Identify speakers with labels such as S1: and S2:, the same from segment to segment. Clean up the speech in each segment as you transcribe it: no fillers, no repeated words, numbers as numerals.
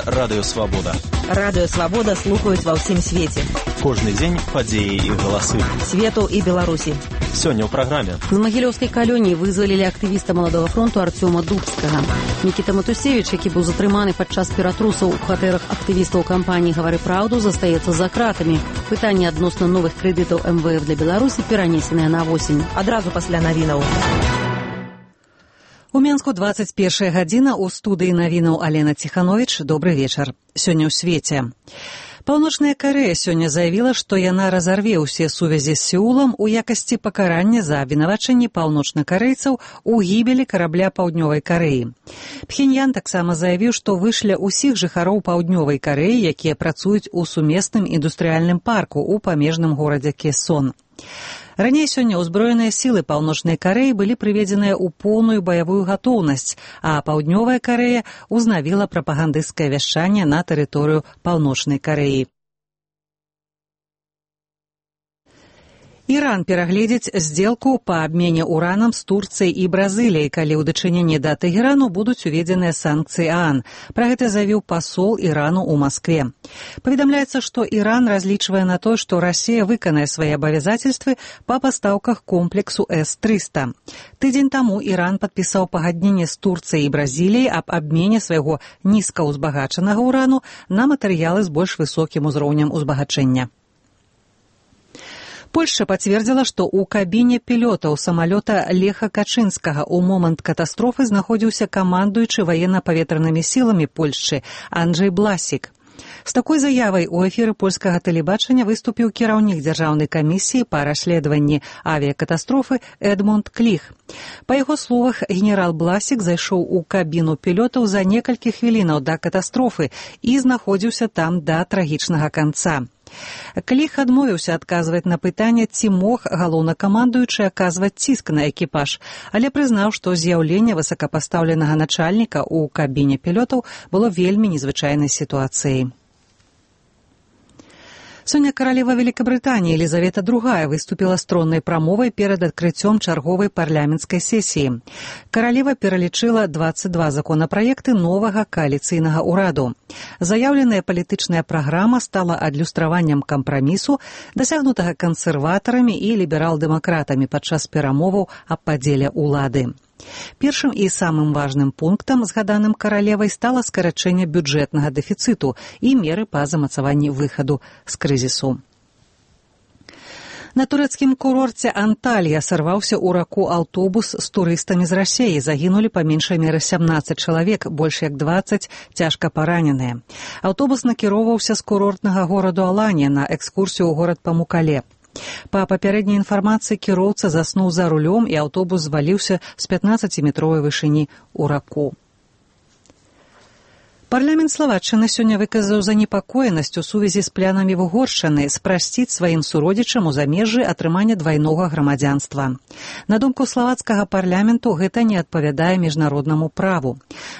S1: Гэта Радыё Свабода.
S2: Радыё Свабода слухаюць ва ўсім свеце.
S1: Кожны дзень падзеі і галасы.
S2: Свету і Беларусі.
S1: Сёння ў праграме.
S3: З Магілёўскай калоніі вызвалілі актывіста Маладога фронту Арцёма Дубскага. Мікіта Матусевіч, які быў затрыманы падчас ператрусаў у кватэрах актывістаў кампаніі «Гавары праўду», застаецца за кратамі. Пытанне адносна новых крэдытаў МВФ для Беларусі перанесеныя на восень.
S2: Адразу пасля навінаў.
S3: У Менску 21 гадзіна, у студыі навінаў Алена Ціхановіч. Добры вечар. Сёння ў свеце. Паўночная Карэя сёння заявіла, што яна разарве ўсе сувязі з Сеулам у якасці пакарання за абвінавачанні паўночнакарэйцаў у гібелі карабля Паўднёвай Карэі. Пхеньян таксама заявіў, што вышля ўсіх жыхароў Паўднёвай Карэі, якія працуюць у сумесным індустрыяльным парку ў памежным горадзе Кесон. Раней сёння ўзброеныя сілы Паўночнай Карэі былі прыведзеныя ў поўную баявую гатоўнасць, а Паўднёвая Карэя ўзнавіла прапагандысцкае вяшчанне на тэрыторыю Паўночнай Карэі. Іран перагледзіць здзелку па абмене уранам з Турцыяй і Бразыліяй, калі ў дачыненні да Тэгэрану будуць уведзеныя санкцыі ААН. Пра гэта заявіў пасол Ірану ў Маскве. Паведамляецца, што Іран разлічвае на тое, што Расія выканае свае абавязацельствы па пастаўках комплексу С-300. Тыдзень таму Іран падпісаў пагадненне з Турцыяй і Бразіліяй аб абмене свайго нізкаўзбагачанага урану на матэрыялы з больш высокім узроўнем узбагачэння. Польшча пацвердзіла, што ў кабіне пілётаў самалёта Леха Качынскага ў момант катастрофы знаходзіўся камандуючы ваенна-паветранымі сіламі Польшчы Анджэй Бласік. З такой заявай у эфіры польскага тэлебачання выступіў кіраўнік дзяржаўнай камісіі па расследаванні авіякатастрофы Эдмунд Кліх. Па яго словах, генерал Бласік зайшоў у кабіну пілётаў за некалькі хвілінаў да катастрофы і знаходзіўся там да трагічнага канца. Кліх адмовіўся адказваць на пытанне, ці мог галоўнакамандуючы аказваць ціск на экіпаж, але прызнаў, што з'яўленне высокапастаўленага начальніка ў кабіне пілётаў было вельмі незвычайнай сітуацыяй. Сёння каралева Великабрытаніі Елізавета II выступіла з троннай прамовай перад адкрыццём чарговай парламенцкай сесіі. Каралева пералічыла 22 законапраекты новага кааліцыйнага ўраду. Заяўленая палітычная праграма стала адлюстраваннем кампрамісу, дасягнутага кансерватарамі і ліберал-дэмакратамі падчас перамоваў аб падзеле ўлады. Першым і самым важным пунктам, згаданым каралевай, стала скарачэнне бюджэтнага дэфіцыту і меры па замацаванні выхаду з крызісу. На турэцкім курорце Анталія сарваўся ў раку аўтобус з турыстамі з Расіі. Загінулі па меншай меры 17 чалавек, больш як 20 цяжка параненыя. Аўтобус накіроўваўся з курортнага гораду Аланія на экскурсію ў горад Памукале. Па папярэдняй інфармацыі, кіроўца заснуў за рулём і аўтобус зваліўся з 15-метровай вышыні ў раку. Парламент Славаччыны сёння выказаў занепакоенасць у сувязі з планамі Угоршчыны спрасціць сваім суродзічам у замежжы атрымання двайнога грамадзянства. На думку славацкага парламенту, гэта не адпавядае міжнароднаму праву.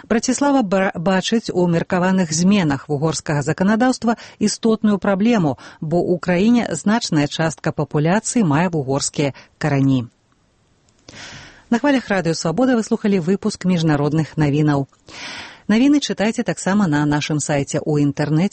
S3: Браціслава бачыць у меркаваных зменах угорскага заканадаўства істотную праблему, бо ў краіне значная частка папуляцыі мае угорскія карані. На хвалях Радыё Свабода вы слухалі выпуск міжнародных навінаў. Навіны чытайце таксама на нашым сайце ў інтэрнэце